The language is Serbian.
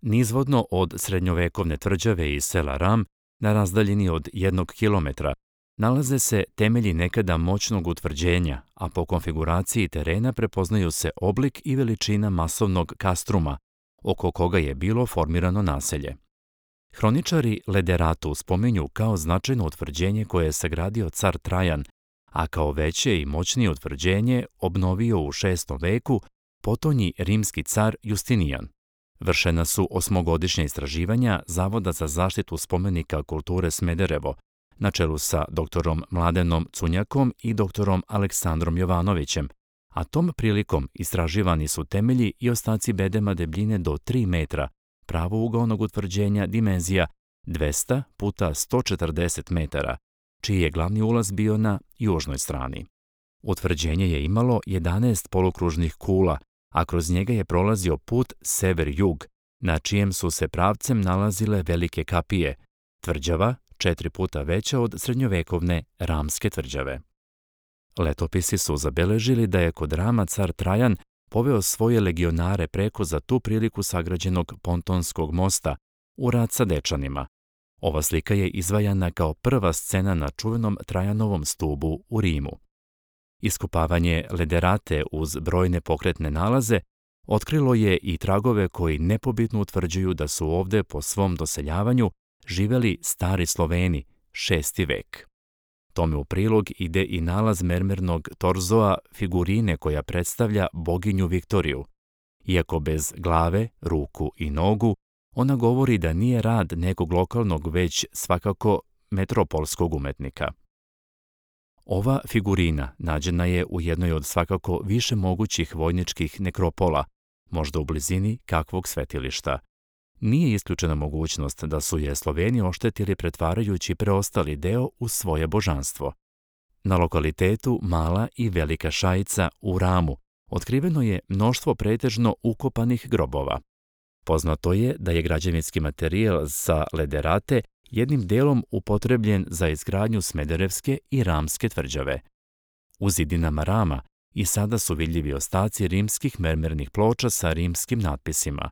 Nizvodno od srednjovekovne tvrđave i sela Ram, na razdaljini od 1 kilometra, nalaze se temelji nekada moćnog utvrđenja, a po konfiguraciji terena prepoznaju se oblik i veličina masovnog kastruma, oko koga je bilo formirano naselje. Hroničari Lederatu spominju kao značajno utvrđenje koje je sagradio car Trajan, a kao veće i moćnije utvrđenje obnovio u 6. veku potonji rimski car Justinijan. Vršena su 8-godišnja istraživanja Zavoda za zaštitu spomenika kulture Smederevo, na čelu sa doktorom Mladenom Cunjakom i doktorom Aleksandrom Jovanovićem, a tom prilikom istraživani su temelji i ostaci bedema debljine do 3 metra, pravougaonog utvrđenja dimenzija 200 puta 140 metara, čiji je glavni ulaz bio na južnoj strani. Utvrđenje je imalo 11 polukružnih kula, a kroz njega je prolazio put sever-jug, na čijem su se pravcem nalazile velike kapije, tvrđava 4 puta veća od srednjovekovne Ramske tvrđave. Letopisi su zabeležili da je kod Rama car Trajan poveo svoje legionare preko za tu priliku sagrađenog pontonskog mosta u rat sa Dečanima. Ova slika je izvajana kao prva scena na čuvenom Trajanovom stubu u Rimu. Iskopavanje Lederate uz brojne pokretne nalaze otkrilo je i tragove koji nepobitno utvrđuju da su ovde po svom doseljavanju živeli stari Sloveni, 6. vek. Tome u prilog ide i nalaz mermernog torzoa figurine koja predstavlja boginju Viktoriju. Iako bez glave, ruku i nogu, ona govori da nije rad nekog lokalnog, već svakako metropolskog umetnika. Ova figurina nađena je u jednoj od svakako više mogućih vojničkih nekropola, možda u blizini kakvog svetilišta. Nije isključena mogućnost da su je Sloveni oštetili pretvarajući preostali deo u svoje božanstvo. Na lokalitetu Mala i Velika Šajica u Ramu otkriveno je mnoštvo pretežno ukopanih grobova. Poznato je da je građevinski materijal sa Lederate jednim delom upotrebljen za izgradnju Smederevske i Ramske tvrđave. U zidinama Rama i sada su vidljivi ostaci rimskih mermernih ploča sa rimskim natpisima.